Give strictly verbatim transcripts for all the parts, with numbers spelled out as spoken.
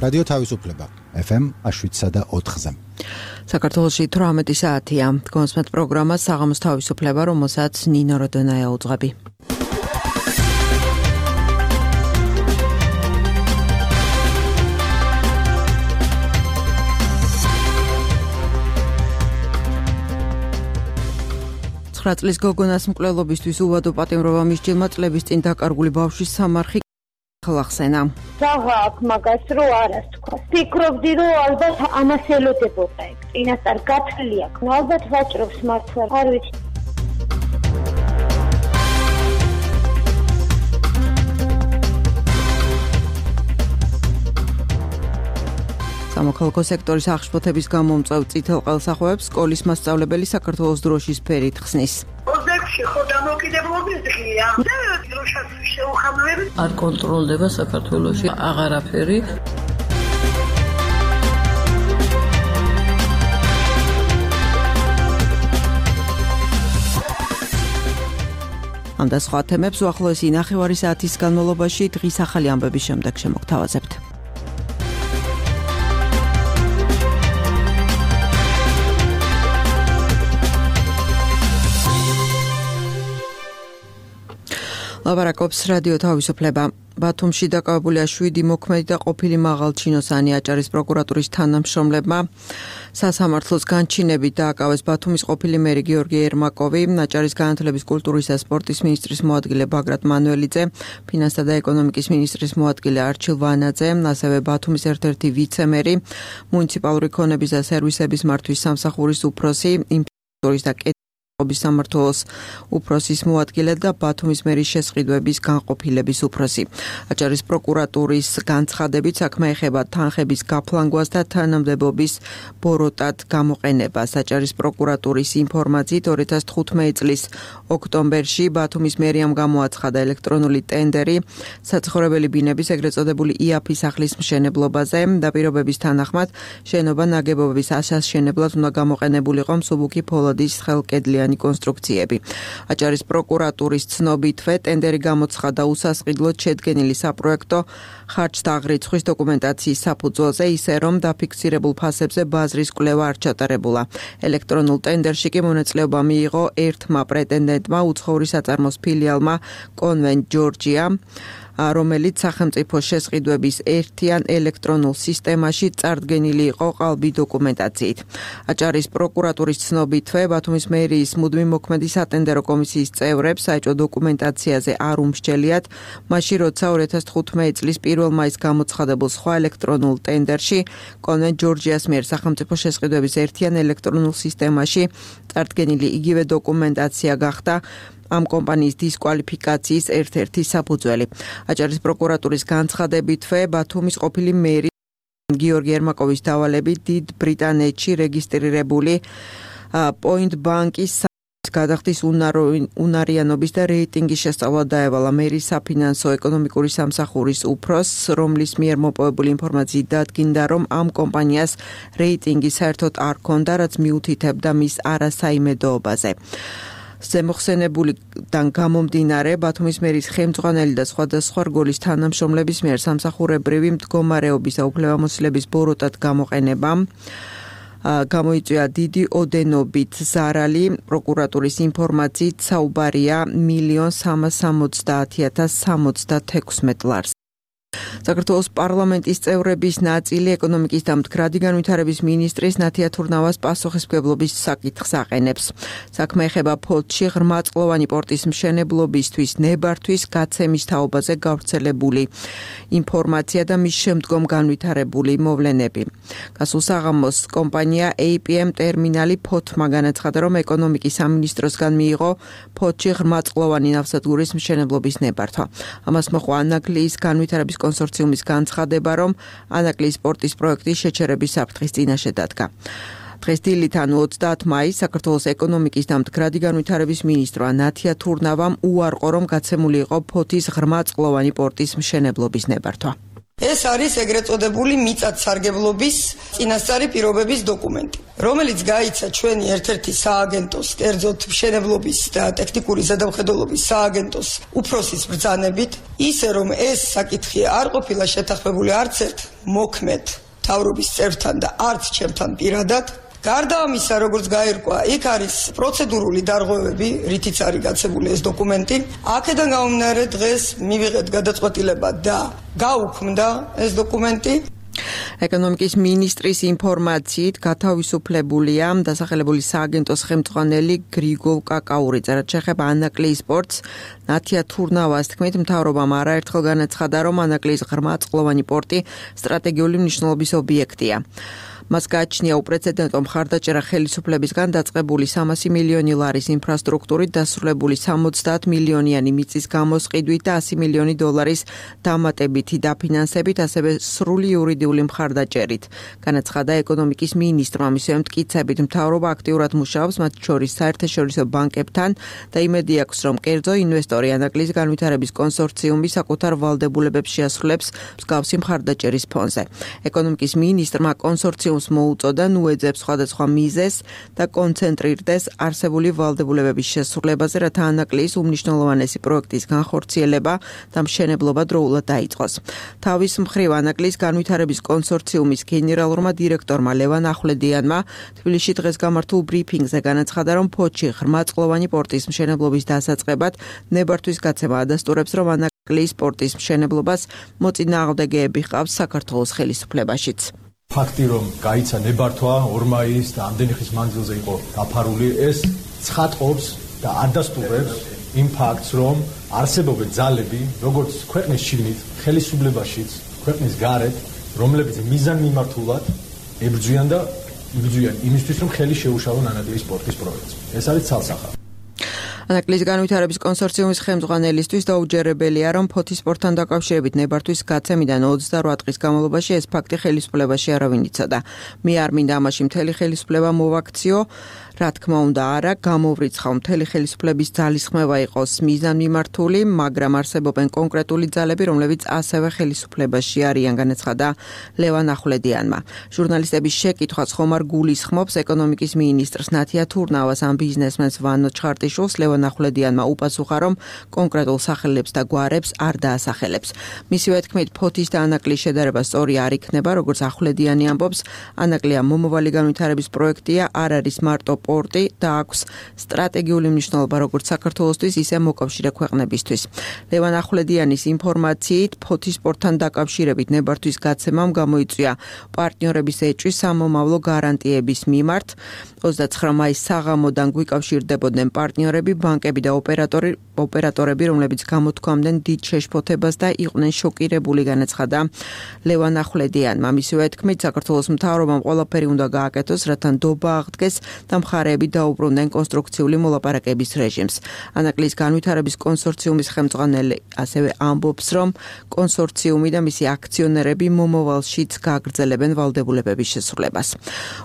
რადიო თავისუფლება ეფ ემ შვიდსა და ოთხზე. საქართველოში თვრამეტი საათია. გონსმეთ პროგრამა საღამოს თავისუფლება, რომელსაც ნინო როდონაია უძღვები. ცხრა წლის გოგონას მკვლელობისთვის უვადო პატიმრობა მისჯილმა წლების წინ დაკარგული ბავშვის სამარხი ხლახსენა. საღა აქ მაგას რო არას თქვა. ფიქრობდი რომ ალბათ ამას ელოდებოდა ეგ. წინასწარ გათვლილი აქვს. ალბათ ვაჭრობს მართლა. არ ვიცი. სამოქალაქო სექტორის აღშფოთების გამომწვევ წითელ ყელსახვევებს სკოლის მასწავლებელი საქართველოს დროშის ფერით ხსნის. ოცდაექვსი ხო დამოუკიდებლობის დღეა. და დროშას შეუხამლები არ კონტროლდება საქართველოში აღარაფერი. ამ და სხვა თემებს უახლოესი ნახევარი საათის განმავლობაში დღის ახალი ამბების შემდეგ შემოგთავაზებთ. ლაბარაკობს რადიო თავისუფლება. ბათუმში დაკავებულია შვიდი მოქმედი და ყოფილი მაღალჩინოსანი აჭარის პროკურატურის თანამშრომლებმა. სასამართლოს განჩინებით დააკავეს ბათუმის ყოფილი მერი გიორგი ერმაკოვი, აჭარის განათლების, კულტურის და სპორტის მინისტრის მოადგილე ბაგრატ მანუელიძე, ფინანსთა და ეკონომიკის მინისტრის მოადგილე არჩილ ვანაძე, ასევე ბათუმის ერთ-ერთი ვიცემერი, მუნიციპალური ქონების და სერვისების მართვის სამსახურის უფროსი, ინფრასტრუქტურის და სამმართველოს უფროსის მოადგილე და ბათუმის მერის შესყიდვების განყოფილების უფროსი. აჭარის პროკურატურის განცხადებით საქმე ეხება თანხების გაფლანგვას და თანამდებობის ბოროტად გამოყენებას. აჭარის პროკურატურის ინფორმაციით ორი ათას თხუთმეტი წლის ოქტომბერში ბათუმის მერიამ გამოაცხადა ელექტრონული ტენდერი საცხოვრებელი ბინების ეგრეთ წოდებული იაფის სახლის მშენებლობაზე და პირობების თანახმად შენობა ნაგებობების ასაშენებლად უნდა გამოყენებულიყო მსუბუქი ფოლადის ხელკედლიანი კონსტრუქციები. აჭარის პროკურატურის ცნობითვე ტენდერი გამოცხადა უსასყიდლოდ შედგენილი საპროექტო ხარჯთაღრიცხვის დოკუმენტაციის საფუძველზე, ისე რომ დაფიქსირებულ ფასებზე ბაზრის კვლევა არ ჩატარებულა. ელექტრონულ ტენდერში კი მონაწილეობა მიიღო ერთმა პრეტენდენტმა უცხოური საწარმოს ფილიალმა კონვენტ ჯორჯია, რომელიც სახელმწიფო შესყიდვების ერთიან ელექტრონულ სისტემაში წარდგენილი იყო ყალბი დოკუმენტაციით. აჭარის პროკურატურის ცნობითვე ბათუმის მერიის მუდმივ მოქმედი სატენდერო კომისიის წევრებს საეჭვო დოკუმენტაციაზე არ უმსჯელიათ, მაშინ როცა ორი ათას თხუთმეტი წლის პირველ მაისს გამოცხადებულ სხვა ელექტრონულ ტენდერში კონვენტ ჯორჯიას მიერ სახელმწიფო შესყიდვების ერთიან ელექტრონულ სისტემაში წარდგენილი იგივე დოკუმენტაცია გახდა ამ კომპანიის დისკვალიფიკაციის ერთ-ერთი საფუძველი. აჭარის პროკურატურის განცხადებითვე ბათუმის ყოფილი მერი გიორგი ერმაკოვის დავალებით დიდ ბრიტანეთში რეგისტრირებული პოინტ ბანკის გადახდის უნარიანობის და რეიტინგის შესწავლა დაევალა მერის საფინანსო ეკონომიკური სამსახურის უფროსს, რომლის მიერ მოპოვებული ინფორმაციით დადგინდა, რომ ამ კომპანიას რეიტინგი საერთოდ არ ჰქონდა, რაც მიუთითებდა მის არასაიმედოობაზე. ზემოხსენებულიდან გამომდინარე, ბათუმის მერის ხელმძღვანელი და სხვადასხვა რგოლის თანამშრომლების მიერ სამსახურებრივი მდგომარეობის და უფლებამოსილების ბოროტად გამოყენებამ გამოიწვია დიდი ოდენობით ზარალი. პროკურატურის ინფორმაციით საუბარია მილიონ სამას სამოცდაათი ათას სამოცდათექვსმეტ ლარს. საქართველოს პარლამენტის წევრების ნაწილი ეკონომიკის და მდგრადი განვითარების მინისტრის ნათია თურნავას პასუხისმგებლობის საკითხს აყენებს. საქმე ეხება ფოთში ღრმაწყლოვანი პორტის მშენებლობისთვის ნებართვის გაცემის თაობაზე გავრცელებული ინფორმაცია და მის შემდგომ განვითარებული მოვლენები. გასულ საღამოს კომპანია ეი პი ემ ტერმინალი ფოთმა განაცხადა, რომ ეკონომიკის სამინისტროსგან მიიღო ფოთში ღრმაწყლოვანი ნავსადგურის მშენებლობის ნებართვა. ამას მოჰყვა ანაგლიის განვითარების კონსორციუმის განცხადება, რომ ანაკლიის პორტის პროექტის შეჩერების საფრთხის წინაშე დადგა. დღეს დილით, ანუ ოცდაათი მაისს, საქართველოს ეკონომიკის და მდგრადი განვითარების მინისტრმა ნათია თურნავამ უარყო, რომ გაცემული იყო ფოთის ღრმაწყლოვანი პორტის მშენებლობის ნებართვა. ეს არის ეგრეთ წოდებული მიწათსარგებლობის წინასწარი პირობების დოკუმენტი, რომელიც გაიცა ჩვენი ერთ-ერთი სააგენტოს, კერძოდ მშენებლობის და ტექნიკური ზედამხედველობის სააგენტოს უფროსის ბრძანებით, ისე რომ ეს საკითხი არ ყოფილა შეთანხმებული არც ერთ მოქმედ მთავრობის წევრთან და არც ჩემთან პირადად. გარდა ამისა, როგორც გაირკვა, იქ არის პროცედურული დარღვევები, რითიც არის გაცემული ეს დოკუმენტი. აქედან გამომდინარე, დღეს მივიღეთ გადაწყვეტილება და გაუქმდა ეს დოკუმენტი. ეკონომიკის მინისტრის ინფორმაციით გათავისუფლებულია დასახელებული სააგენტოს ხელმძღვანელი გრიგოლ კაკაურიძე, რაც შეეხება ანაკლიის პორტს. ნათია თურნავას თქმით, მთავრობამ არაერთხელ განაცხადა, რომ ანაკლიის ღრმაწყლოვანი პორტი სტრატეგიული მნიშვნელობის ობიექტია. მას გააჩნია უპრეცედენტო მხარდაჭერა ხელისუფლებისგან დაწყებული სამასი მილიონი ლარის ინფრასტრუქტურით დასრულებული სამოცდაათ მილიონიანი მიწის გამოსყიდვით და ასი მილიონი დოლარის დამატებითი დაფინანსებით, ასევე სრული იურიდიული მხარდაჭერით. განაცხადა ეკონომიკის მინისტრმა, მისივე მტკიცებით, მთავრობა აქტიურად მუშაობს მათ შორის საერთაშორისო ბანკებთან და იმედი აქვს, რომ კერძო ინვესტორი ანაკლიის განვითარების კონსორციუმი საკუთარ ვალდებულებებს შეასრულებს მსგავსი მხარდაჭერის ფონზე. ეკონომიკის მინისტრმა კონსორციუმ მოუწოდა ნუეძებს სხვადასხვა მიზეს და კონცენტრირდეს არსებული ვალდებულებების შესრულებაზე, რათა ანაკლიის უმნიშვნელოვანესი პროექტის განხორციელება და მშენებლობა დროულად დაიწყოს. თავის მხრივ ანაკლიის განვითარების კონსორციუმის გენერალურმა დირექტორმა ლევან ახვლედიანმა თბილისში დღეს გამართულ ბრიფინგზე განაცხადა, რომ ფოთში ღრმაწყლოვანი პორტის მშენებლობის დასაწყებად ნებართვის გაცემა ადასტურებს, რომ ანაკლიის პორტის მშენებლობას მოწინააღმდეგეები ჰყავს საქართველოს ხელისუფლებაშიც. ფაქტი, რომ გაიცა ნებართვა ორმაის და ამდენი ხნის მანძილზე იყო დაფარული, ეს ცხადყოფს და ადასტურებს იმ ფაქტს, რომ არსებობენ ძალები, როგორც ქვეყნის შიგნით, ხელისუფლებაშიც, ქვეყნის გარეთ, რომლებიც მიზანმიმართულად ებრძვიან და იბრძვიან იმისთვის, რომ ხელი შეუშალონ ანაკლიის პორტის პროექტს. ეს არის ცალსახა. ანაკლიის განვითარების კონსორციუმის ხელმძღვანელისთვის დაუჯერებელია, რომ ფოთის პორტთან დაკავშირებით ნებართვის გაცემიდან ოცდარვა დღის განმავლობაში ეს ფაქტი ხელისუფლებაში არავინ იცოდა. მე არ მინდა ამაში მთელი ხელისუფლება მოვაქციო, რა თქმა უნდა არა, გამოვრიცხავ მთელი ხელისუფლების ძალისხმევა იყოს მიზანმიმართული, მაგრამ არსებობენ კონკრეტული ძალები, რომლებიც ასევე ხელისუფლებაში არიან, განაცხადა ლევან ახვლედიანმა. ჟურნალისტების შეკითხვას ხომ არ გულისხმობს ეკონომიკის მინისტრს ნათია თურნავას ამ ბიზნესმენს ვანო ჩხარტიშვილს, ლევან ახვლედიანმა უპასუხა, რომ კონკრეტულ სახელებს და გვარებს არ დაასახელებს. მისივე თქმით, ფოთის და ანაკლიის შედარება სწორი არ იქნება, როგორც ახვლედიანი ამბობს, ანაკლია მომავალი განვითარების პროექტია, არ არის მარტო პორტი და აქვს სტრატეგიული მნიშვნელობა როგორც საქართველოსთვის, ისე მოკავშირე ქვეყნებისთვის. ლევან ახვლედიანის ინფორმაციით, ფოთის პორტთან დაკავშირებით ნებართვის გაცემამ გამოიწვია პარტნიორების ეჭვი სამომავლო გარანტიების მიმართ. ოცდაცხრა მაის საღამოდან გვიკავშირდებოდნენ პარტნიორები, ბანკები და ოპერატორი, ოპერატორები, რომლებიც გამოთქვამდნენ დიდ შეშფოთებას და იყვნენ შოკირებული, განაცხადა ლევან ახვლედიანმა. მისივე თქმით, საქართველოს მთავრობამ ყველაფერი უნდა გააკეთოს, რათა ნდობა აღდგეს და მხარეები დაუბრუნდნენ კონსტრუქციული მოლაპარაკების რეჟიმს. ანაკლიის განვითარების კონსორციუმის ხელმძღვანელი ასევე ამბობს, რომ კონსორციუმი და მისი აქციონერები მომავალშიც გააგრძელებენ ვალდებულებების შესრულებას.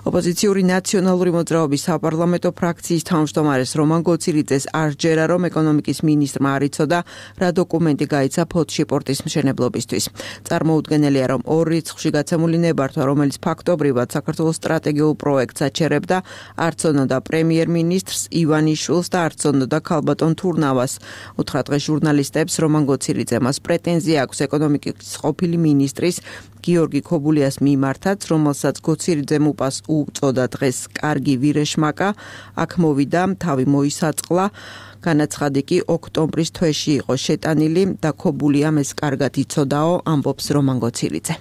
ოპოზიციური ნაციონალური მოძრაობის საპარლამენტო ფრაქციის თავმჯდომარეს რომან გოცირიძეს არ ჯერა, რომ ეკონომიკის მინისტრმა არ იცოდა, რა დოკუმენტი გაიცა ფოთში პორტის მშენებლობისთვის. წარმოუდგენელია, რომ ორ რიცხვში გაცემული ნებართვა, რომელიც ფაქტობრივად საქართველოს სტრატეგიულ პროექტს აჩერებდა, არც ონოდა პრემიერ-მინისტრს ივანიშვილს და არც ონოდა ქალბატონ თურნავას. უთხრა დღეს ჟურნალისტებს რომან გოცირიძემ მას პრეტენზია აქვს ეკონომიკის ყოფილი მინისტრის გიორგი ქობულიას მიმართაც, რომელსაც გოცირიძემ უპას უწოდა დღეს კარგი ვირეშმაკა, აქ მოვიდა, თავი მოისაწყლა. განაცხადი კი ოქტომბრის თვეში იყო შეტანილი და ქობულიამ ეს კარგად იცოდაო, ამბობს რომან გოცირიძე.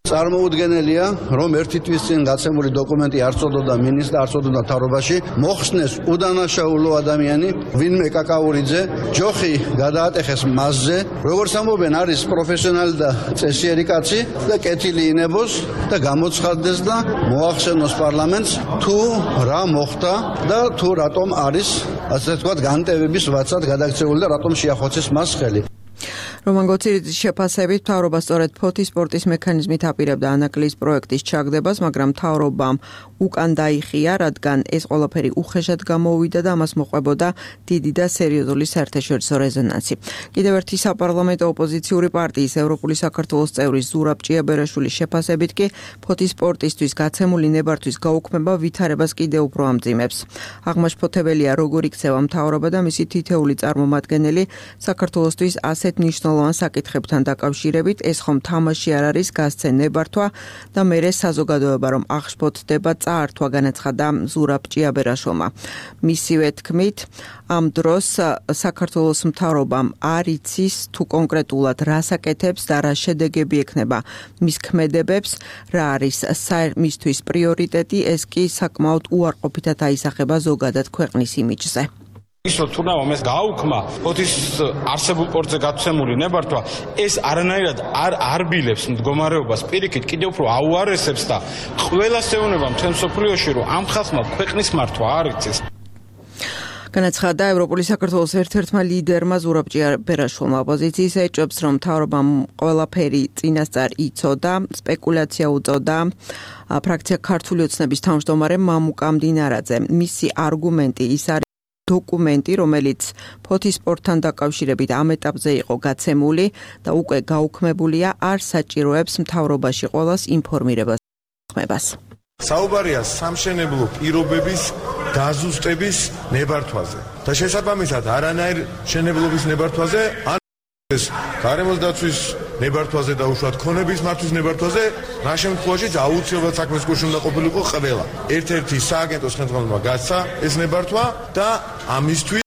წარმოუდგენელია, რომ ერთი თვის წინ გაცემული დოკუმენტი არ წოდოდა მინისტრს და არ წოდოდა მთავრობაში, მოხსნეს უდანაშაულო ადამიანი, ვინმე კაკაურიძე, ჯოხი გადაატეხეს მასზე, როგორც ამბობენ, არის პროფესიონალი და წესიერი კაცი და კეთილი ინებოს და გამოცხადდეს და მოახსენოს პარლამენტს თუ რა მოხდა და თუ რატომ არის, ასე ვთქვათ, განტევების ვაცად გადაქცეული და რატომ შეახოცეს მას ხელი. რომან გოცირიძის შეფასებით მთავრობა სწორედ ფოთის სპორტის მექანიზმით აპირებდა ანაკლის პროექტის ჩაგდებას, მაგრამ მთავრობამ უკან დაიხია, რადგან ეს ყველაფერი უხეშად გამოუვიდა და ამას მოყვებოდა დიდი და სერიოზული საერთაშორისო რეზონანსი. კიდევ ერთი საპარლამენტო ოპოზიციური პარტიის ევროპული საქართველოს წევრის ზურაბ ჭიაბერაშვილის შეფასებით კი ფოთის სპორტისთვის გაცემული ნებართვის გაუქმება ვითარებას კიდევ უფრო ამძიმებს. აღმაშფოთებელია, როგორ იქცევა მთავრობა და მისი თითეული წარმომადგენელი საქართველოსთვის ასეთ მნიშვნელოვან საკითხებთან დაკავშირებით, ეს ხომ თამაში არ არის, გასცენ ნებართვა და მერე საზოგადოება რომ აღშფოთდება წაართვა, განაცხადა ზურაბ ჭიაბერაშვილმა. მისივე თქმით, ამ დროს საქართველოს მთავრობამ არ იცის თუ კონკრეტულად რა საკეთებს და რა შედეგები ექნება მის ქმედებებს, რა არის მისთვის პრიორიტეტი, ეს კი საკმაოდ უარყოფითად აისახება ზოგადად ქვეყნის იმიჯზე. ისო თუნდაც ეს გააუქმა ფოთის არსებულ სპორტზე გაცემული ნებართვა, ეს არანაირად არ არბილებს მდგომარეობას, პირიქით კიდევ უფრო აუარესებს და ყველას ეუბნება მთელ მსოფლიოში, რომ ამ ხალხმა ქვეყნის მართვა არ იცის. განაცხადა ევროპული საქართველოს ერთ-ერთმა ლიდერმა ზურაბ ჭიაბერაშვილმა. ოპოზიციის ეჭვებს, რომ მთავრობამ ყველაფერი წინასწარ იცოდა, სპეკულაცია უწოდა ფრაქცია ქართული ოცნების თავმჯდომარე მამუკა მდინარაძე. მისი არგუმენტი ის არის დოკუმენტი, რომელიც ფოთის სპორტთან დაკავშირებით ამ ეტაპზე იყო გაცემული და უკვე გაუქმებულია, არ საჭიროებს მთავრობაში ყოველას ინფორმირებას ხმებას. საუბარია სამშენებლო პირობების დაზუსტების ნებართვაზე და შესაბამისად არანაირ შენებლობის ნებართვაზე, ან ეს გარემოს დაცვის ნებართვაზე და უშუალოდ ქონების მართვის ნებართვაზე, რა შემთხვევაშიც აუცილებლად საქმის გულში უნდა ყოფილიყო ყველა. ერთ-ერთი სააგენტოს ხელმძღვანელმა გასცა ეს ნებართვა და ამისთვის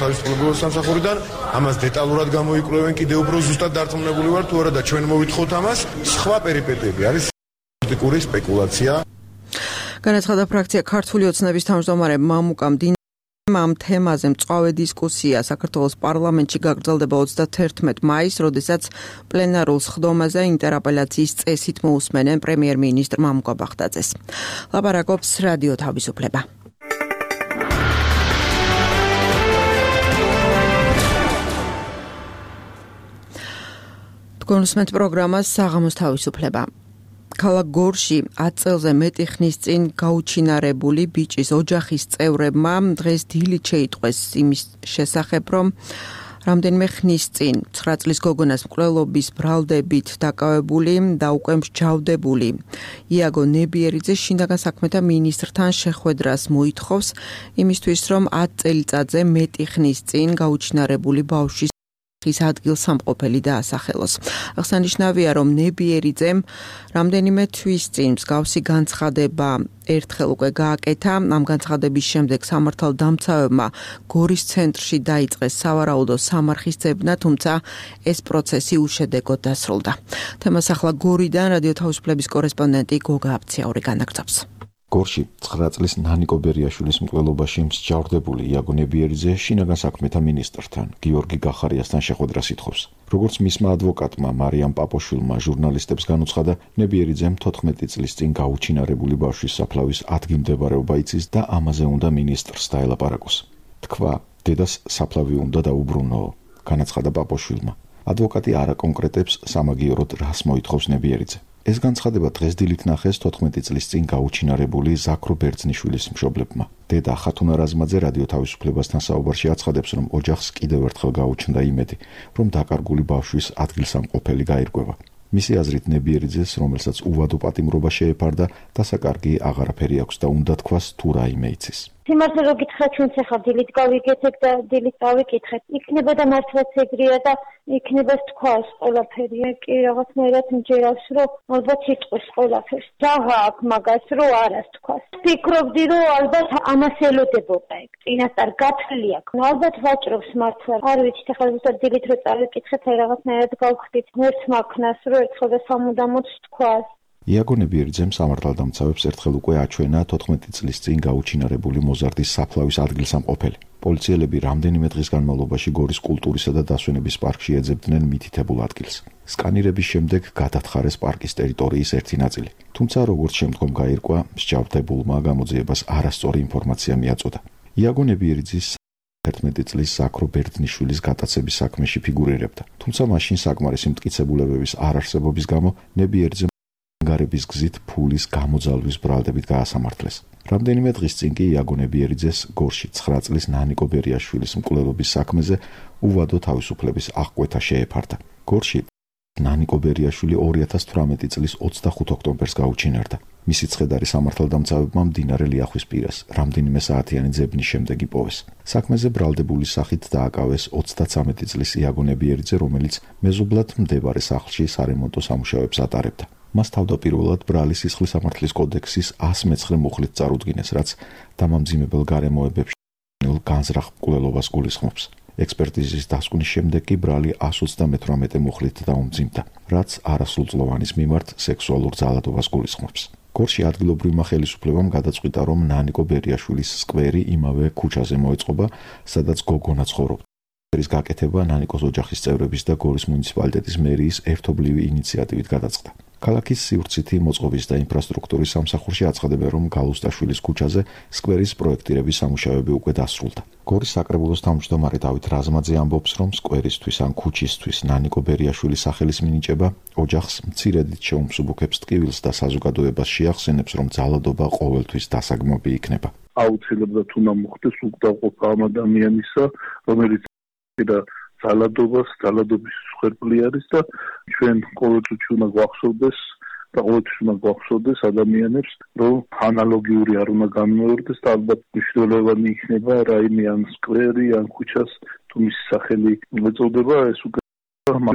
თავისუფლების სამსახურიდან ამას დეტალურად გამოიკვლევენ, კიდევ უფრო ზუსტად დარწმუნებული ვარ თუ არა და ჩვენ მოვითხოვთ ამას. სხვა პერიპეტიები არის პოლიტიკური სპეკულაცია. განაცხადა ფრაქცია ქართული ოცნების თავმჯდომარე მამუკა მდინარაძე. ამ თემაზე მწვავე დისკუსია საქართველოს პარლამენტში გაგრძელდება ოცდაათერთმეტ მაისს, როდესაც პლენარულ სხდომაზე ინტერაპელაციის წესით მოусმენენ პრემიერ-მინისტრ მამუკა ბაღდაძეს. ლაპარაკობს რადიო თავისუფლება. თქვენ უსმენთ პროგრამას საღამოს თავისუფლება. ქალაქ გორში ათ წელზე მეტი ხნის წინ გაუჩინარებული ბიჭის ოჯახის წევრებმა დღეს დილით შეიტყვეს იმის შესახებ, რომ რამდენიმე ხნის წინ ცხრა წლის გოგონას მკვლელობის ბრალდებით დაკავებული და უკვე მსჯავრდებული იაგო ნებიერიძე შინაგან საქმეთა მინისტრთან შეხვედრას მოითხოვს იმისთვის, რომ ათ წელიწადზე მეტი ხნის წინ გაუჩინარებული ბავშვის ის ადგილსამყოფელი დაასახელოს. აღსანიშნავია, რომ ნებიერიძემ რამდენიმე თვის წინ მსგავსი განცხადება ერთხელ უკვე გააკეთა. ამ განცხადების შემდეგ სამართალდამცავებმა გორის ცენტრში დაიწყეს სავარაუდო სამარხის ძებნა, თუმცა ეს პროცესი უშედეგოდ დასრულდა. თემას ახლა გორიდან რადიო თავისუფლების კორესპონდენტი გოგა აფციაური განაგრძობს. გორში ცხრა წლის ნანიკო ბერიაშვილის მკვლელობაში მსჯავრდებული იაგო ნებიერიძე შინაგან საქმეთა მინისტრთან გიორგი გახარიასთან შეხვედრას ითხოვს. როგორც მისმა ადვოკატმა მარიამ პაპოშვილმა ჟურნალისტებს განუცხადა, ნებიერიძემ თოთხმეტი წლის წინ გაუჩინარებული ბავშვის საფლავის ადგილმდებარეობა იცის და ამაზე უნდა მინისტრს დაელაპარაკოს. თქვა, დედას საფლავი უნდა დაუბრუნოო, განაცხადა პაპოშვილმა. ადვოკატი არ აკონკრეტებს სამაგიეროდ რას მოითხოვს ნებიერიძე. ეს განცხადება დღეს დილით ნახეს თოთხმეტი წლის წინ გაუჩინარებული ზაქრო ბერძნიშვილის მშობლებმა. დედა ხათუნა რაზმაძე რადიო თავისუფლებასთან საუბარში აცხადებს, რომ ოჯახს კიდევ ერთხელ გაუჩნდა იმედი, რომ დაკარგული ბავშვის ადგილსამყოფელი გაირკვევა. მისი აზრით ნებიერიძეს, რომელსაც უვადო პატიმრობა შეეფარდა, დასაკარგი აღარაფერი აქვს და უნდა თქვას თუ რაიმე იცის. სიმართლე რო გითხრათ, ჩვენც ახლა დილით გავიგეთებ და დილით გავიკითხეთ. იქნება და მართლაც ეგრეა და იქნება თქვას ყველაფერი. კი რაღაცნაირად მჯერავს, რომ ალბათ იტყვის ყველაფერს. ჯაღა აქვს მაგას, რომ არას თქვას. ფიქრობდი, რომ ალბათ ამას ელოდებოდა ეგ. წინასწარ გათვლილი აქვს. ალბათ ვაჭრობს მართლა. არ ვიცით, ახლა ზუსტად დილით რო წავიკითხეთ, აი რაღაცნაირად გავხდით. მერც მაქნას, რომ ერთხელ და სამუდამოდ თქვას. იაგო ნებიერიძემ სამართალდამცავებს ერთხელ უკვე აჩვენა თოთხმეტი წლის წინ გაუჩინარებული მოზარდის საფლავის ადგილსამყოფელი. პოლიციელები რამდენიმე დღის განმავლობაში გორის კულტურისა და დასვენების პარკში ეძებდნენ მითითებულ ადგილს. სკანირების შემდეგ გადათხარეს პარკის ტერიტორიის ერთი ნაწილი. თუმცა როგორც შემდგომ გაირკვა, მსჯავრდებულმა გამოძიებას არასწორი ინფორმაცია მიაწოდა. იაგო ნებიერიძის ერთმეტი წლის ზაქრო ბერძნიშვილის გატაცების საქმეში ფიგურირებდა. თუმცა მაშინ საკმარისი მტკიცებულებების არარსებობის გამო ნებიერიძე გარების გზით ფულის გამოძალვის ბრალდებით გაასამართლეს. რამდენიმე დღის წინ კი იაგო ნებიერიძეს გორში ცხრა წლის ნანიკო ბერიაშვილის მკვლელობის საქმეზე უვადო თავისუფლების აღკვეთა შეეფარდა. გორში ნანიკო ბერიაშვილი ორი ათას თვრამეტი წლის ოცდახუთ ოქტომბერს გაუჩინარდა. მისი ცხედარი სამართალდამცავებმა მდინარე ლიახვის პირას რამდენიმე საათიანი ძებნის შემდეგ იპოვეს. საქმეზე ბრალდებული სახით დააკავეს ოცდაცამეტი წლის იაგო ნებიერიძე, რომელიც მეზობლად მდებარე სახლში სარემონტო სამუშაოებს ატარებდა. მას თავდაპირველად ბრალის სისხლის სამართლის კოდექსის ასი მეცხრე მუხლით წარუდგინეს, რაც დამამძიმებელ გარემოებებში განზრახ მკვლელობას გულისხმობს. ექსპერტიზის დასკვნის შემდეგ კი ბრალი ასი ოცდამეთვრამეტე მუხლით დაუმძიმდა, რაც არასრულწლოვანის მიმართ სექსუალურ ძალადობას გულისხმობს. გორში ადგილობრივმა ხელისუფლებამ გადაწყვიტა, რომ ნანიკო ბერიაშვილის სკვერი იმავე ქუჩაზე მოეწყობა, სადაც გოგონა ცხოვრობდა. სკვერის გაკეთება ნანიკოს ოჯახის წევრების და გორის მუნიციპალიტეტის მერიის ერთობლივი ინიციატივით გადაწყდა. ქალაქის სივრცითი მოწყობის და ინფრასტრუქტურის სამსახურში აცხადებენ, რომ გალუსტაშვილის ქუჩაზე სკვერის პროექტირების სამუშაოები უკვე დასრულდა. გორის საკრებულოს თავმჯდომარე დავით რაზმაძე ამბობს, რომ სკვერისთვის ან ქუჩისთვის ნანიკო ბერიაშვილის სახელის მინიჭება ოჯახს მცირედით შეუმსუბუქებს ტკივილს და საზოგადოებას შეახსენებს, რომ ძალადობა ყოველთვის დასაგმობი იქნება. აუცილებლად უნდა მოხდეს უკდავყოფა ამ ადამიანისა, რომელიც და ძალადობას, ძალადობის მსხვერპლი არის და ჩვენ ყოველთვის უნდა გვახსოვდეს და ყოველთვის უნდა გვახსოვდეს ადამიანებს, რომ ანალოგიური არ უნდა განმეორდეს და ალბათ მნიშვნელოვანი იქნება რაიმე ან სკვერი ან ქუჩას თუ მისი სახელი ეწოდება, ეს უკვე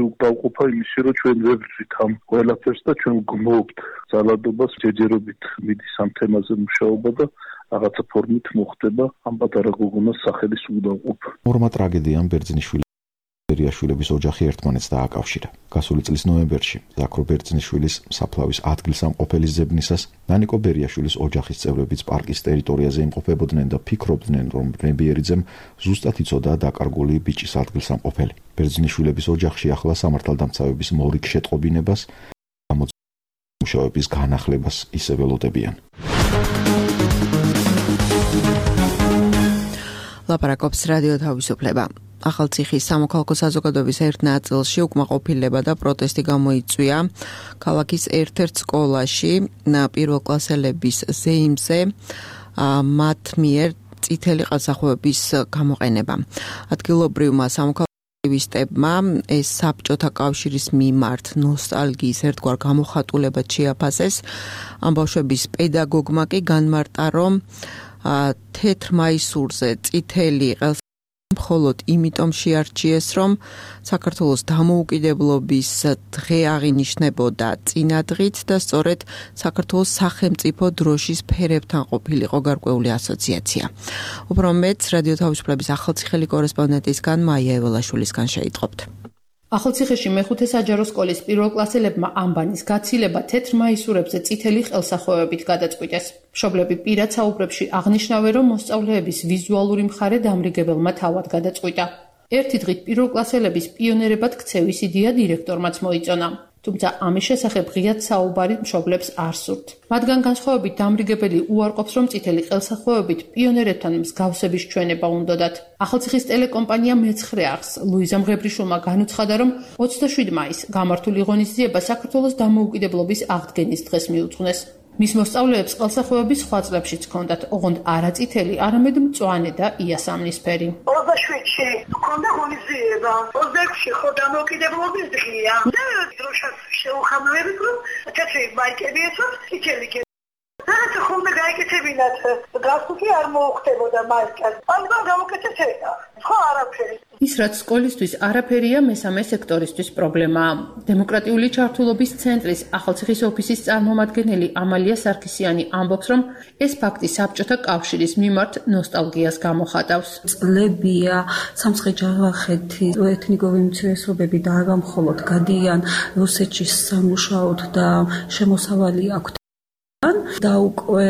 უკდავყოფა იმისი, რომ ჩვენ ვერ ვძვით ამ ყველაფერს და ჩვენ გვმოვთ ძალადობას, ჯეჯერობით მიდის ამ თემაზე მუშაობა და რაღაცა ფორმით მოხდება ამ პატარა გოგონას სახელის უკდავყოფა. ორმა ტრაგედიამ ბერძნიშვილი ბერიაშვილების ოჯახი ერთმანეთს დააკავშირა. გასული წლის ნოემბერში ზაქრო ბერძნიშვილის საფლავის ადგილსამყოფელის ძებნისას ნანიკო ბერიაშვილის ოჯახის წევრებიც პარკის ტერიტორიაზე იმყოფებოდნენ და ფიქრობდნენ, რომ ნებიერიძემ ზუსტად იცოდა დაკარგული ბიჭის ადგილსამყოფელი. ბერძნიშვილების ოჯახში ახლა სამართალდამცავების მორიგ შეტყობინებას გამოცემუშავების განახლებას ისე ველოდებიან. ლაპარაკობს რადიო თავისუფლება. ახალციხის სამოქალაქო საზოგადოების ერთ ნაწილში უკმაყოფილება და პროტესტი გამოიწვია ქალაქის ერთ-ერთ სკოლაში პირველკლასელების ზეიმზე მათ მიერ წითელი ყელსახვევების გამოყენება. ადგილობრივმა სამოქალაქოებმა ეს საბჭოთა კავშირის მიმართ ნოსტალგიის ერთგვარ გამოხატულებად შეაფასეს. ამ ბავშვების პედაგოგმა კი განმარტა, რომ თეთრ მაისურზე წითელი ყელსახვევები მხოლოდ იმიტომ შეარჩიეს, რომ საქართველოს დამოუკიდებლობის დღე აღინიშნებოდა წინადღით და სწორედ საქართველოს სახელმწიფო დროშის ფერებთან ყოფილიყო გარკვეული ასოციაცია. უფრო მეც რადიო თავისუფლების ახალციხელი კორესპონდენტისგან მაია ეველაშვილისგან შეიტყობთ. ახალციხეში მეხუთე საჯარო სკოლის პირველკლასელებმა ამბანის გაცილება თეთრ მაისურებზე წითელი ყელსახვევებით გადაწყვიტეს. მშობლები პირად საუბრებში აღნიშნავენ, რომ მოსწავლეების ვიზუალური მხარე დამრიგებელმა თავად გადაწყვიტა. ერთი დღით პირველკლასელების პიონერებად ქცევის იდეა დირექტორმაც მოიწონა. თუმცა ამის შესახებ ღიად საუბარი მშობლებს არ სურთ. მათგან განსხვავებით დამრიგებელი უარყოფს, რომ წითელი ყელსახვევებით პიონერებთან მსგავსების ჩვენება უნდოდათ. ახალციხის ტელეკომპანია მეცხრე არხს ლუიზა მღებრიშვილმა განუცხადა, რომ ოცდაშვიდი მაისს გამართული ღონისძიება საქართველოს დამოუკიდებლობის აღდგენის დღეს მიუძღვნეს. მის მოსწავლეებს ყელსახვევები სხვა წლებშიც ჰქონდათ, ოღონდ არა წითელი, არამედ მწვანე და იასამნისფერი. ოცდაშვიდში ჰქონდა ღონისძიება, ოცდაექვსში ხო დამოუკიდებლობის დღეა და დროშას შეუხამლებით, რომ თეთრი მაიკები ეცვათ, წითელი კე. რაღაცა ხომ გაიკეთებინათ, გასული არ მოუხდებოდა მაიკას. ალბათ გამოკეთებია. ხო არაფერი. ის რაც სკოლისთვის არაფერია, მესამე სექტორისთვის პრობლემაა. დემოკრატიული ჩართულობის ცენტრის ახალციხის ოფისის წარმომადგენელი ამალია სარქისიანი ამბობს, რომ ეს ფაქტი საბჭოთა კავშირის მიმართ ნოსტალგიას გამოხატავს. წლებია სამცხე-ჯავახეთი ეთნიკური უმცირესობები და არა მხოლოდ გადიან რუსეთში სამუშაოდ და შემოსავალი აქვთ. და უკვე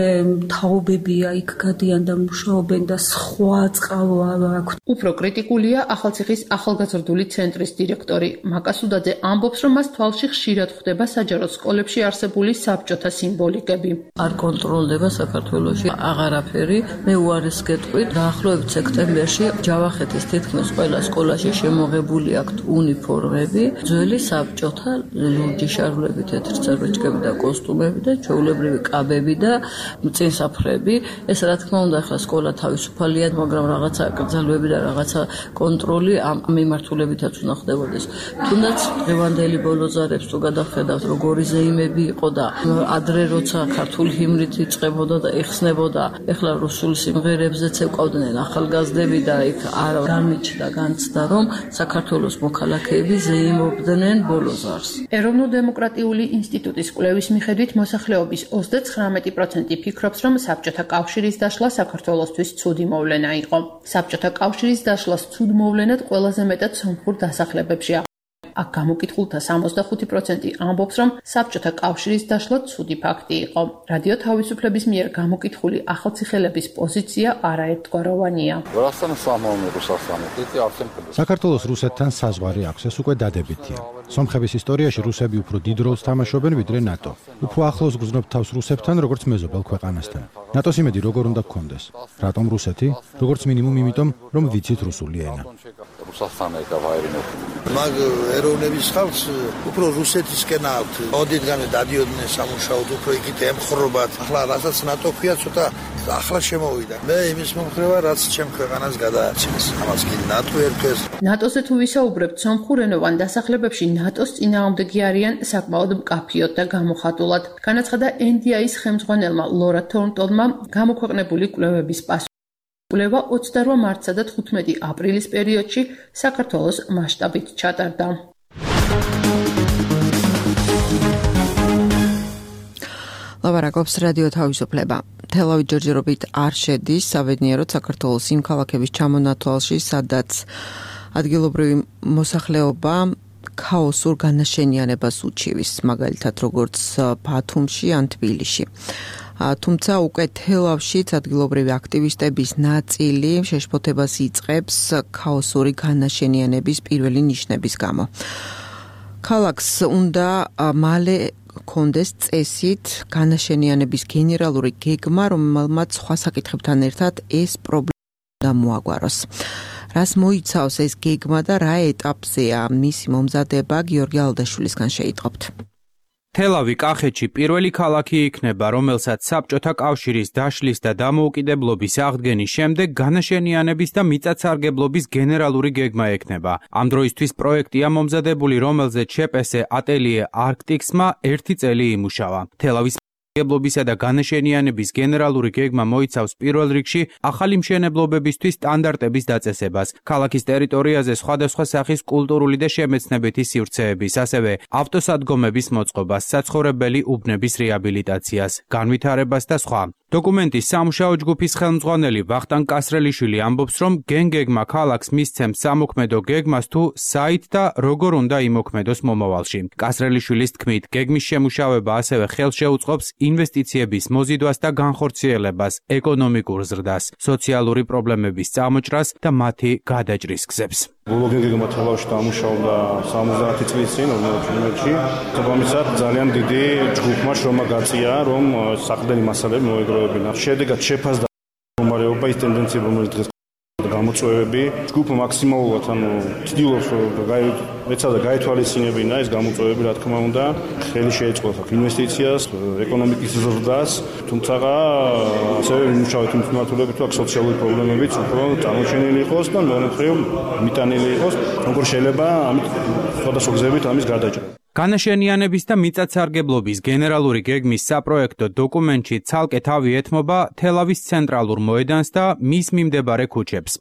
თაობებია იქ გადიან და მუშაობენ და სხვა წყარო არ აქვს. უფრო კრიტიკულია ახალციხის ახალგაზრდული ცენტრის დირექტორი მაკასუდაძე ამბობს, რომ მას თვალში ხშირად ხვდება საჯარო სკოლებში არსებული საბჭოთა სიმბოლიკები. არ კონტროლდება საქართველოში აღარაფერი. მე უარეს გეტყვით, დაახლოებით სექტემბერში ჯავახეთის თითქმის ყველა სკოლაში შემოღებული აქვთ უნიფორმები, ძველი საბჭოთა ლურჯი შარვლები, თეთრ-წარბეჭკები და კოსტუმები და ჩვეულებრივი კაბები და წინსაფრები. ეს რა თქმა უნდა ახლა სკოლა თავისუფალია, მაგრამ რაღაცა კრძალვები და რაღაცა კონტროლი ამ მიმართულებითაც უნდა ხდებოდეს. თუნდაც დღევანდელი ბოლოზარებს თუ გადავხედავთ, როგორი ზეიმები იყო და ადრე როცა ქართული ჰიმნით იწყებოდა და ეხსნებოდა, ეხლა რუსულ სიმღერებზეც ეკავდნენ ახალგაზრდები და იქ არ გამიჩნდა განცდა, რომ საქართველოს მოქალაქეები ზეიმობდნენ ბოლოზარს. ეროვნულ-დემოკრატიული ინსტიტუტის კვლევის მიხედვით მოსახლეობის ოცდათხრამეტი პროცენტი ფიქრობს, რომ საბჭოთა კავშირის დაშლა საქართველოსთვის ცუდი მოვლენა იყო. საბჭოთა კავშირის დაშლას ცუდ მოვლენად ყველაზე მეტად სომხურ დასახლებებშია. აქ გამოკითხულთა სამოცდახუთი პროცენტი ამბობს, რომ საბჭოთა კავშირის დაშლა ცუდი ფაქტი იყო. რადიო თავისუფლების მიერ გამოკითხული ახალციხელების პოზიცია არაერთგვაროვანია. საქართველოს რუსეთთან საზღვარი აქვს, ეს უკვე დადებითია. სომხების ისტორიაში რუსები უფრო დიდ როლს თამაშობენ ვიდრე ნატო. უფრო ახლოს გრძნობთ თავს რუსებთან, როგორც მეზობელ ქვეყანასთან. ნატოს იმედი როგორ უნდა გქონდეს? რატომ რუსეთი? როგორც მინიმუმ იმიტომ, რომ ვიცით რუსული ენა. მაგ ეროვნების ხალხს უფრო რუსეთისკენ აქვთ. ოდითგანვე დადიოდნენ სამუშაოდ, უფრო იქით ემხრობათ. ახლა რასაც ნატო ქვია, ცოტა ახლა შემოვიდა. მე იმის მომხრევა, რაც ჩემ ქვეყანას გადაარჩენს. ამას კი ნატო ერთეს. ნატოზე თუ ვისაუბრებთ, სომხურენოვან დასახლებებში ნატოს წინააღმდეგი არიან საკმაოდ მკაფიოდ და გამოხატულად. განაცხადა ენ დი აის ხელმძღვანელმა ლორა თორნტონმა გამოქვეყნებული კვლევების პასუხი. კვლევა ოცდაორ მარტსა და თხუთმეტი აპრილის პერიოდში საქართველოს მასშტაბით ჩატარდა. ლაბარაკობს რადიო თავისუფლება. თელავი ჯერჯერობით არ შედის საბედნიეროდ საქართველოს იმ ქალაქების ჩამონათვალში, სადაც ადგილობრივი მოსახლეობა ქაოსურ განაშენიანებას უჩივის, მაგალითად როგორც ბათუმში ან თბილისში. თუმცა უკვე თელავშიც ადგილობრივი აქტივისტების ნაწილი შეშფოთებას იწყებს ქაოსური განაშენიანების პირველი ნიშნების გამო. ქალაქს უნდა მალე კონდეს წესით განაშენიანების გენერალური გეგმა, რომელმაც სხვა საკითხებთან ერთად ეს პრობლემა მოაგვაროს. რას მოიცავს ეს გეგმა და რა ეტაპზეა მისი მომზადება, გიორგი ალდაშვილისგან შეიტყობთ. თელავი კახეთში პირველი ქალაქი იქნება, რომელსაც საბჭოთა კავშირის დაშლის და დამოუკიდებლობის აღდგენის შემდეგ განაშენიანების და მიწათსარგებლობის გენერალური გეგმა ექნება. ამ დროისთვის პროექტია მომზადებული, რომელზეც შეპესე ატელიე არქტიქსმა ერთი წელი იმუშავა. თელავის მშენებლობისა და განაშენიანების გენერალური გეგმა მოიცავს პირველ რიგში ახალი მშენებლობებისთვის სტანდარტების დაწესებას, ქალაქის ტერიტორიაზე სხვადასხვა სახის კულტურული და შემეცნებითი სივრცეების, ასევე ავტოსადგომების მოწყობას, საცხოვრებელი უბნების რეაბილიტაციას, განვითარებას და სხვა. დოკუმენტის სამუშაო ჯგუფის ხელმძღვანელი ვახტანგ კასრელიშვილი ამბობს, რომ გენგეგმა ქალაქს მისცემს სამოქმედო გეგმას თუ საით და როგორ უნდა იმოქმედოს მომავალში. კასრელიშვილის თქმით, გეგმის შემუშავება ასევე ხელშეუწყობს ინვესტიციების მოზიდვას და განხორციელებას, ეკონომიკურ ზრდას, სოციალური პრობლემების წამოჭრას და მათი გადაჭრის გზებს. ბოლო გეგმა თელავში დამუშავდა სამოცდაათი წლის წინ ორმოცდაათში. თუმცა ძალიან დიდი ჯგუფმა შრომა გაწია, რომ საყრდენი მასალები მოეგროვებინა. შედეგად შეფასდა მდგომარეობა ის ტენდენციები, რომელიც დღეს გამოწვევები. ჯგუფი მაქსიმალურად ანუ ცდილობს ეცადა გაითვალისწინებინა ეს გამოწვევები, რა თქმა უნდა, ხელი შეეწყოს ინვესტიციას, ეკონომიკის ზრდას, თუმცა ასევე იმუშავეთ იმ მიმართულებით, რომ სოციალური პრობლემებიც უფრო წარმოჩენილი იყოს და მეორე მხრივ მიტანილი იყოს, როგორ შეიძლება ამით სხვადასხვა გზებით ამის გარდაჭრა. განაშენიანების და მიწათსარგებლობის გენერალური გეგმის საპროექტო დოკუმენტში ცალკე თავი ეთმობა თელავის ცენტრალურ მოედანს და მის მიმდებარე ქუჩებს.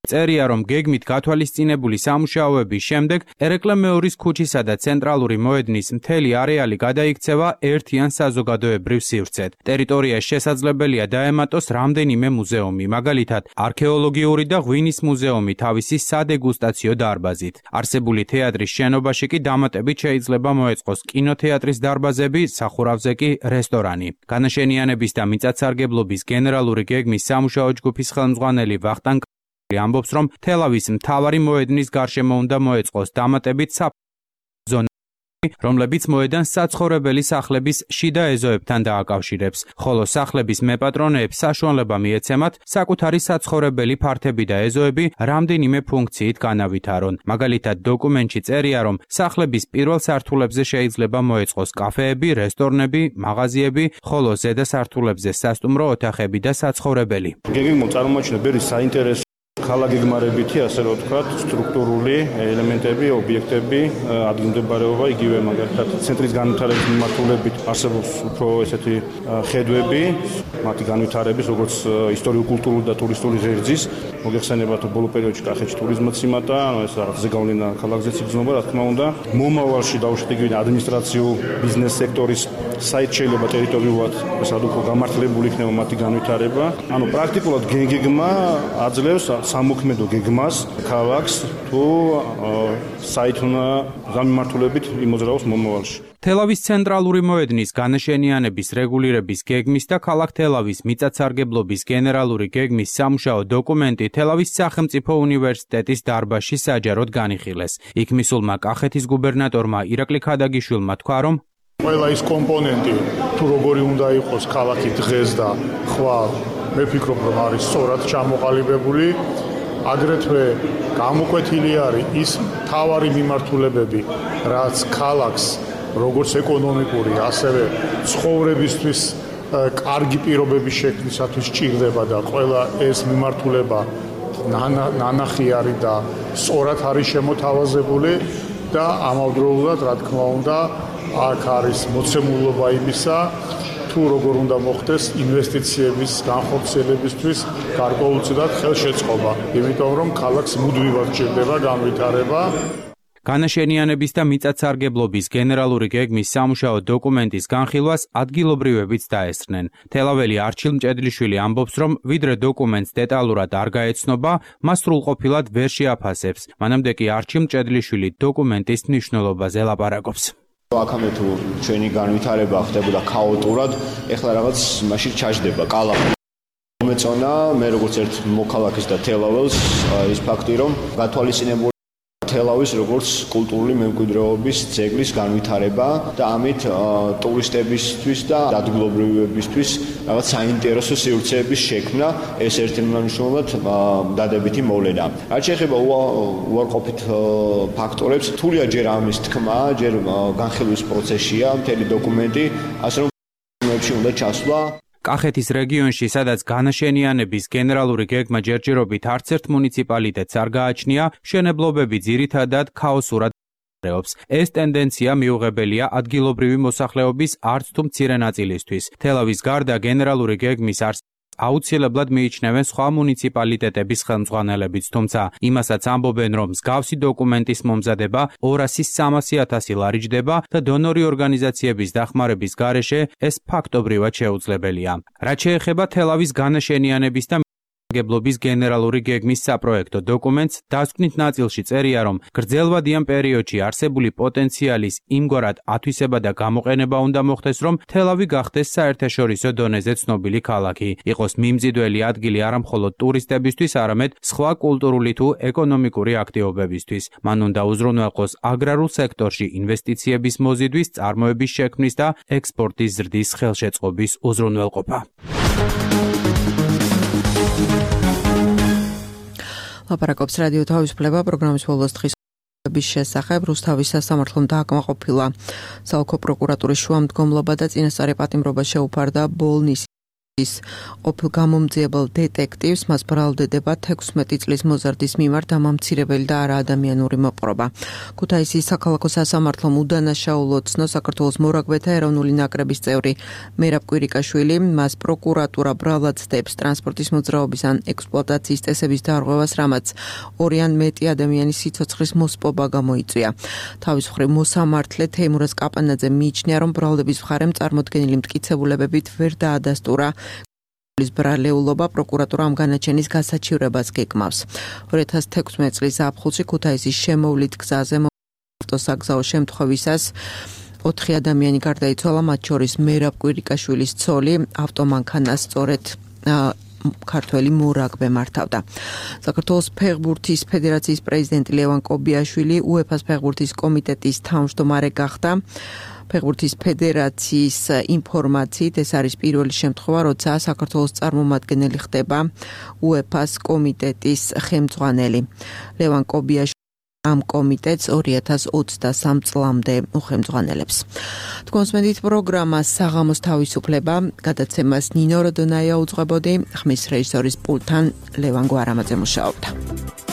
წერია, რომ გეგმით გათვალისწინებული სამუშაოების შემდეგ ერეკლე მეორის ქუჩისა და ცენტრალური მოედნის მთელი არეალი გადაიქცევა ერთიან საზოგადოებრივ სივრცედ. ტერიტორიას შესაძლებელია დაემატოს რამდენიმე მუზეუმი, მაგალითად, არქეოლოგიური და ღვინის მუზეუმი თავისი სადეგუსტაციო დარბაზით. არსებული თეატრის შენობაში კი დამატებით შეიძლება მოეწყოს კინოთეატრის დარბაზები, სახურავზე კი რესტორანი. განაშენიანების და მიწათსარგებლობის გენერალური გეგმის სამუშაო ჯგუფის ხელმძღვანელი ვახტანგ ამბობს, რომ თელავის მთავარი მოედნის გარშემო უნდა მოეწყოს დამატებით საფრთხე რომლებიც მოედანს საცხოვრებელი სახლების შიდა ეზოებთან დააკავშირებს, ხოლო სახლების მეპატრონეებს საშუალება მიეცემათ საკუთარი საცხოვრებელი ფართები და ეზოები რამდენიმე ფუნქციით განავითარონ. მაგალითად, დოკუმენტში წერია, რომ სახლების პირველ სართულებზე შეიძლება მოეწყოს კაფეები, რესტორნები, მაღაზიები, ხოლო ზედა სართულებზე სასტუმრო ოთახები და საცხოვრებელი. გეგმით წარმოაჩინა ბევრი საინტერესო ქალაქგეგმარებითი, ასე რომ ვთქვათ, სტრუქტურული ელემენტები, ობიექტები, ადგილმდებარეობა, იგივე მაგალითად ცენტრის განვითარების მიმართულებით არსებობს უფრო ესეთი ხედვები, მათი განვითარების, როგორც ისტორიულ-კულტურული და ტურისტული ღერძის, მოგეხსენებათ, რომ ბოლო პერიოდში კახეთში ტურიზმიც იმატა, ანუ ეს რაღაც ზეგავლენა ქალაქზეც იგრძნობა, რა თქმა უნდა. მომავალში დავუშვით იგივე ადმინისტრაციულ ბიზნეს სექტორის საით შეიძლება ტერიტორიულად ესად უფრო გამართლებული იქნება მათი განვითარება. ანუ პრაქტიკულად გეგმა აძლევს სამოქმედო გეგმას ქალაქს თუ საით უნდა გამიმართულებით იმოძრაოს მომავალში. თელავის ცენტრალური მოედნის განაშენიანების რეგულირების გეგმის და ქალაქ თელავის მიწათსარგებლობის გენერალური გეგმის სამუშაო დოკუმენტი თელავის სახელმწიფო უნივერსიტეტის დარბაზში საჯაროდ განიხილეს. იქ მისულმა კახეთის გუბერნატორმა ირაკლი ქადაგიშვილმა თქვა, რომ ყველა ის კომპონენტი თუ როგორი უნდა იყოს ქალაქი დღეს და ხვალ მე ვფიქრობ, რომ არის სწორად ჩამოყალიბებული. აგრეთვე გამოკვეთილი არის ის მთავარი მიმართულებები, რაც ქალაქს როგორც ეკონომიკური, ასევე ცხოვრებისთვის კარგი პირობების შექმნისათვის ჭირდება და ყველა ეს მიმართულება ნანახი არის და სწორად არის შემოთავაზებული და ამავდროულად, რა თქმა უნდა, აქ არის მოცემულობა იმისა, თუ როგორ უნდა მოხდეს ინვესტიციების განხორციელებისთვის გარკვეულწილად ხელშეწყობა, იმიტომ რომ ქალაქს მუდმივად ჭირდება განვითარება. განაშენიანების და მიწათსარგებლობის გენერალური გეგმის სამუშაო დოკუმენტის განხილვას ადგილობრივებიც დაესწრნენ. თელაველი არჩილ მჭედლიშვილი ამბობს, რომ ვიდრე დოკუმენტს დეტალურად არ გაეცნობა, მას სრულყოფილად ვერ შეაფასებს. მანამდე კი არჩილ მჭედლიშვილი დოკუმენტის მნიშვნელობაზე ლაპარაკობს. აქამდე თუ ჩვენი განვითარება ხდებოდა ქაოტურად, ეხლა რაღაც მაშინ ჩაჯდება კალაპი. მომეწონა მე როგორც ერთ მოქალაქეს და თელაველს ის ფაქტი, რომ გათვალისწინებული თელავის როგორც კულტურული მემკვიდრეობის ძეგლის განვითარება და ამით ტურისტებისთვის და ადგილობრივებისთვის რაღაც საინტერესო სივრცეების შექმნა, ეს ერთმანეთშულად დადებითი მოვლენა. რაც შეეხება უარყოფით ფაქტორებს, თულია ჯერ ამის თქმა, ჯერ განხილვის პროცესია, მთელი დოკუმენტი, ასე რომ უნდა ჩასვლა. კახეთის რეგიონში, სადაც განაშენიანების გენერალური გეგმა ჯერჯერობით არც ერთ მუნიციპალიტეტს არ გააჩნია, მშენებლობები ძირითადად ქაოსურად მდებარეობს. ეს ტენდენცია მიუღებელია ადგილობრივი მოსახლეობის არც თუ მცირე ნაწილისთვის. თელავის გარდა გენერალური გეგმის არს აუცილებლად მიიჩნევენ სხვა მუნიციპალიტეტების ხელმძღვანელებიც, თუმცა იმასაც ამბობენ, რომ მსგავსი დოკუმენტის მომზადება ორასი სამასი ათასი ლარი ჯდება და დონორი ორგანიზაციების დახმარების გარეშე ეს ფაქტობრივად შეუძლებელია. რაც შეეხება თელავის განაშენიანების და მიწათსარგებლობის გენერალური გეგმის საპროექტო დოკუმენტს, დასკვნით ნაწილში წერია, რომ გრძელვადიან პერიოდში არსებული პოტენციალის იმგვარად ათვისება და გამოყენება უნდა მოხდეს, რომ თელავი გახდეს საერთაშორისო დონეზე ცნობილი ქალაქი, იყოს მიმზიდველი ადგილი არა მხოლოდ ტურისტებისთვის, არამედ სხვა კულტურული თუ ეკონომიკური აქტივობებისთვის. მან უნდა უზრუნველყოს აგრარულ სექტორში ინვესტიციების მოზიდვის, წარმოების შექმნის და ექსპორტის ზრდის ხელშეწყობის უზრუნველყოფა. ლაპარაკობს რადიო თავისუფლება პროგრამის ბოლოს დღის შესახებ. რუსთავის სასამართლომ დააკმაყოფილა საოლქო პროკურატურის შუამდგომლობა და წინასწარი პატიმრობა შეუფარდა ბოლნის ის ყოფილ გამომძიებელ დეტექტივს მას ბრალდებდა თექვსმეტი წლის მოზარდის მიმართ დამამცირებელი და არაადამიანური მოპყრობა. ქუთაისის საქალაქო სასამართლომ უდანაშაულო ცნო საქართველოს მორაგბეთა ეროვნული ნაკრების წევრი მერაბ კვირიკაშვილი, მას პროკურატურა ბრალად ცდებს ტრანსპორტის მოძრაობის ან ექსპლუატაციის წესების დარღვევას, რამაც ორი ან მეტი ადამიანის სიცოცხლის მოსპობა გამოიწვია. თავის მხრივ მოსამართლე თეიმურაზ კაპანაძე მიიჩნია, რომ ბრალდების მხარემ წარმოდგენილი მტკიცებულებებით ვერ დაადასტურა ის ბრალეულობა, პროკურატურა ამ განაჩენის გასაჩივრებას გეკმავს. ორი ათას თექვსმეტი წლის ზაფხულში ქუთაისის შემოვლით გზაზე ავტოსაგზაო შემთხვევისას ოთხი ადამიანი გარდაიცვალა, მათ შორის მერაბ კვირიკაშვილის ცოლი, ავტომანქანას სწორედ ქართველი მორაგბე მართავდა. საქართველოს ფეხბურთის ფედერაციის პრეზიდენტი ლევან კობიაშვილი უეფა-ს ფეხბურთის კომიტეტის თავმჯდომარე გახდა. ფეხბურთის ფედერაციის ინფორმაციით ეს არის პირველი შემთხვევა, როცა საქართველოს წარმომადგენელი ხდება უეფა-ს კომიტეტის ხელმძღვანელი. ლევან კობიაშვილი ამ კომიტეტს ორი ათას ოცდასამ წლამდე უხელმძღვანელებს. თქვენსმენით პროგრამა საღამოს თავისუფლება, გადაცემას ნინო როდონაია უძღვებოდი, ხმის რეჟისორის პულტთან ლევან გვარამაძე მუშაობდა.